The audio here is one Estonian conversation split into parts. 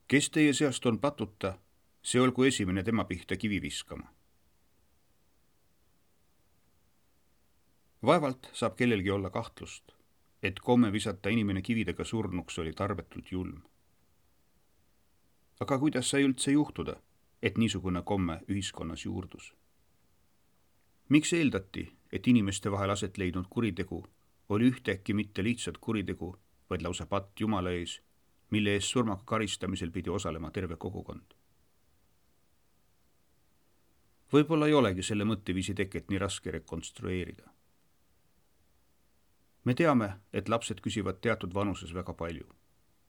Kes teie seast on patuta, see olgu esimene tema pihta kivi viskama. Vaevalt saab kellelgi olla kahtlust, et komme visata inimene kividega surnuks oli tarbetult julm. Aga kuidas sai üldse juhtuda, et niisugune komme ühiskonnas juurdus? Miks eeldati, et inimeste vahel aset leidnud kuritegu oli ühtäkki mitte lihtsalt kuritegu, vaid lausa patt Jumala ees, mille eest surmaga karistamisel pidi osalema terve kogukond? Võib-olla ei olegi selle mõtteviisi teket nii raske rekonstrueerida. Me teame, et lapsed küsivad teatud vanuses väga palju.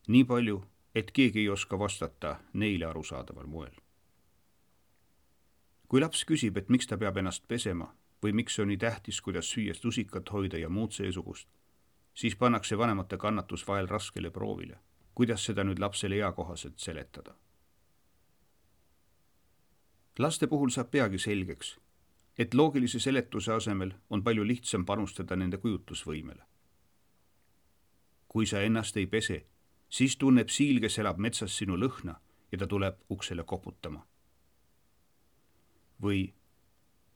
Nii palju, et keegi ei oska vastata neile arusaadaval moel. Kui laps küsib, et miks ta peab ennast pesema või miks on nii tähtis, kuidas süües lusikat hoida ja muud seesugust, siis pannakse vanemate kannatus vahel raskele proovile. Kuidas seda nüüd lapsele eakohaselt seletada? Laste puhul saab peagi selgeks, et loogilise seletuse asemel on palju lihtsam panustada nende kujutlusvõimele. Kui sa ennast ei pese, siis tunneb siil, kes elab metsas sinu lõhna ja ta tuleb uksele koputama. Või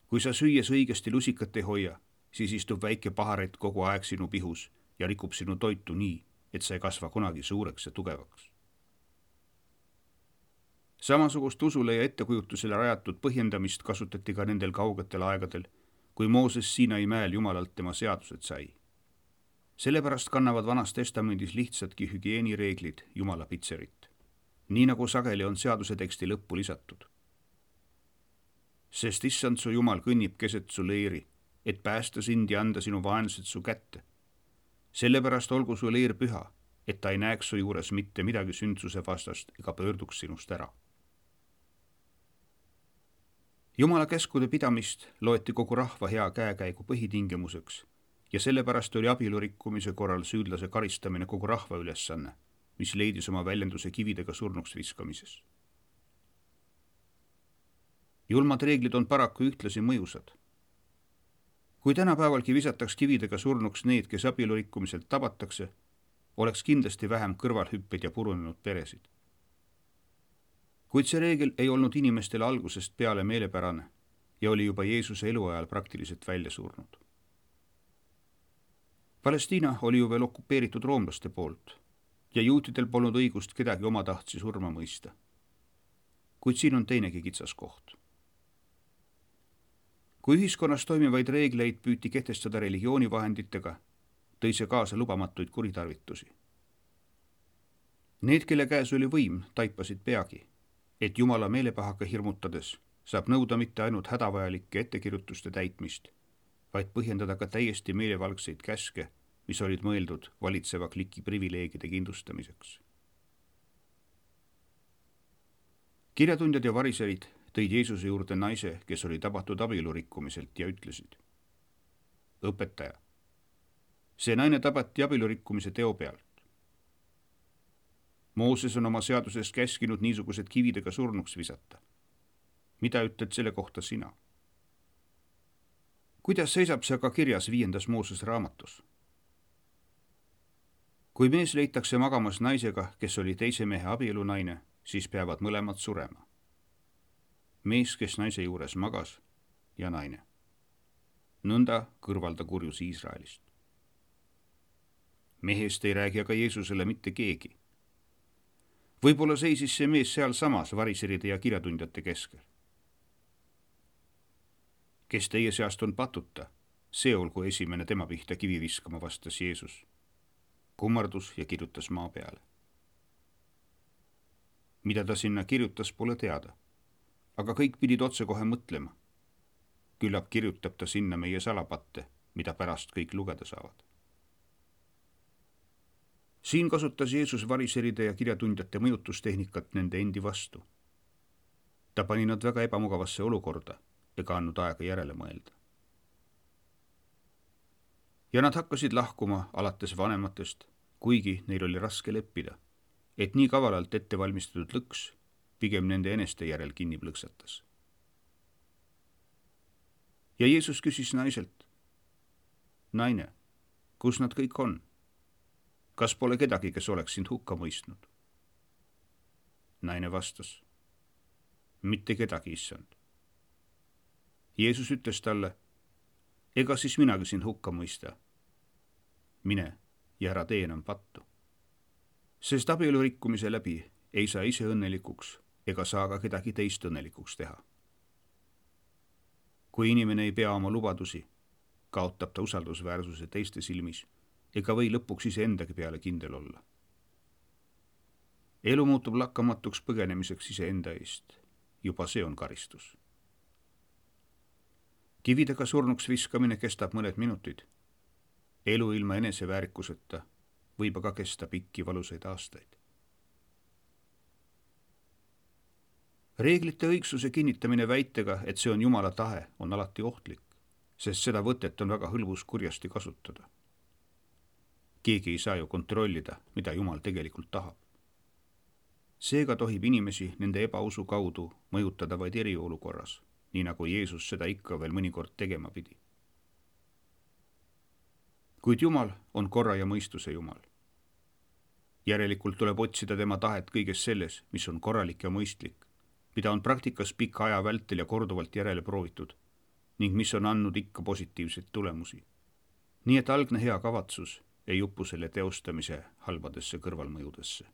kui sa süües õigesti lusikat ei hoia, siis istub väike paharet kogu aeg sinu pihus ja rikub sinu toitu nii, et sa ei kasva kunagi suureks ja tugevaks. Samasugust usule ja ettekujutusele rajatud põhjendamist kasutati ka nendel kaugetel aegadel, kui Mooses Siinai mäel Jumalalt tema seadused sai. Sellepärast kannavad Vanas Testamendis lihtsadki hügieenireeglid Jumala pitserit, nii nagu sageli on seaduse teksti lõppu lisatud. Sest issand su Jumal kõnnib keset su leeri, et päästa sind ja anda sinu vaenlased su kätte. Sellepärast olgu su leer püha, et ta ei näeks su juures mitte midagi sündsuse vastast ega pöörduks sinust ära. Jumala käskude pidamist loeti kogu rahva hea käekäigu põhitingimuseks ja sellepärast oli abielu rikkumise korral süüdlase karistamine kogu rahva ülesanne, mis leidis oma väljenduse kividega surnuks viskamises. Julmad reeglid on paraku ühtlasi mõjusad. Kui tänapäevalgi visataks kividega surnuks need, kes abielu rikkumiselt tabatakse, oleks kindlasti vähem kõrvalhüppeid ja purunenud peresid. Kuid see reegel ei olnud inimestele algusest peale meelepärane ja oli juba Jeesuse eluajal praktiliselt välja surnud. Palestiina oli ju veel okupeeritud roomlaste poolt ja juutidel polnud õigust kedagi omatahtsi surma mõista. Kuid siin on teinegi kitsas koht. Kui ühiskonnas toimivaid reegleid püüti kehtestada religioonivahenditega, tõi see kaasa lubamatuid kuritarvitusi. Need, kelle käes oli võim, taipasid peagi, et Jumala meelepahaka hirmutades saab nõuda mitte ainult hädavajalike ettekirjutuste täitmist, vaid põhjendada ka täiesti meelevalgseid käske, mis olid mõeldud valitseva kliki privileegide kindlustamiseks. Kirjatundjad ja variserid tõid Jeesuse juurde naise, kes oli tabatud abielu rikkumiselt ja ütlesid: Õpetaja, see naine tabati abielu rikkumise teo pealt. Mooses on oma seaduses käskinud niisugused kividega surnuks visata. Mida ütled selle kohta sina? Kuidas seisab see aga kirjas 5. Mooses raamatus? Kui mees leitakse magamas naisega, kes oli teise mehe abielunaine, siis peavad mõlemad surema. Mees, kes naise juures magas, ja naine. Nõnda kõrvalda kurjus Iisraelist. Mehest ei räägi aga Jeesusele mitte keegi. Võib-olla seisis see mees seal samas variseride ja kirjatundjate keskel. Kes teie seast on patuta, see olgu esimene tema pihta kivi viskama, vastas Jeesus. Kummardus ja kirjutas maa peale. Mida ta sinna kirjutas, pole teada, aga kõik pidid otsekohe mõtlema. Küllap kirjutab ta sinna meie salapatte, mida pärast kõik lugeda saavad. Siin kasutas Jeesus variseride ja kirjatundjate mõjutustehnikat nende endi vastu. Ta pani nad väga ebamugavasse olukorda ega andnud aega järele mõelda. Ja nad hakkasid lahkuma alates vanematest, kuigi neil oli raske leppida, et nii kavalalt ette valmistatud lõks pigem nende eneste järel kinni plõksatas. Ja Jeesus küsis naiselt: Naine, kus nad kõik on? Kas pole kedagi, kes oleks sind hukka mõistnud? naine vastas: mitte kedagi, issand. Jeesus ütles talle: ega siis minagi sind hukka mõista. mine ja ära tee enam pattu. Sest abielu rikkumise läbi ei saa ise õnnelikuks ega saa ka kedagi teist õnnelikuks teha. kui inimene ei pea oma lubadusi, kaotab ta usaldusväärsuse teiste silmis ega või lõpuks iseendagi peale kindel olla. elu muutub lakkamatuks põgenemiseks iseenda eest. juba see on karistus. kividega surnuks viskamine kestab mõned minutid. elu ilma eneseväärikuseta võib aga kesta pikki valusaid aastaid. reeglite õigsuse kinnitamine väitega, et see on Jumala tahe, on alati ohtlik, sest seda võtet on väga hõlbus kurjasti kasutada. keegi ei saa ju kontrollida, mida Jumal tegelikult tahab. seega tohib inimesi nende ebausu kaudu mõjutada vaid eriolukorras, nii nagu Jeesus seda ikka veel mõnikord tegema pidi. kuid Jumal on korra ja mõistuse Jumal. järelikult tuleb otsida tema tahet kõiges selles, mis on korralik ja mõistlik, mida on praktikas pika aja vältel ja korduvalt järele proovitud ning mis on andnud ikka positiivseid tulemusi. nii et algne hea kavatsus ei upu selle teostamise halbadesse kõrvalmõjudesse.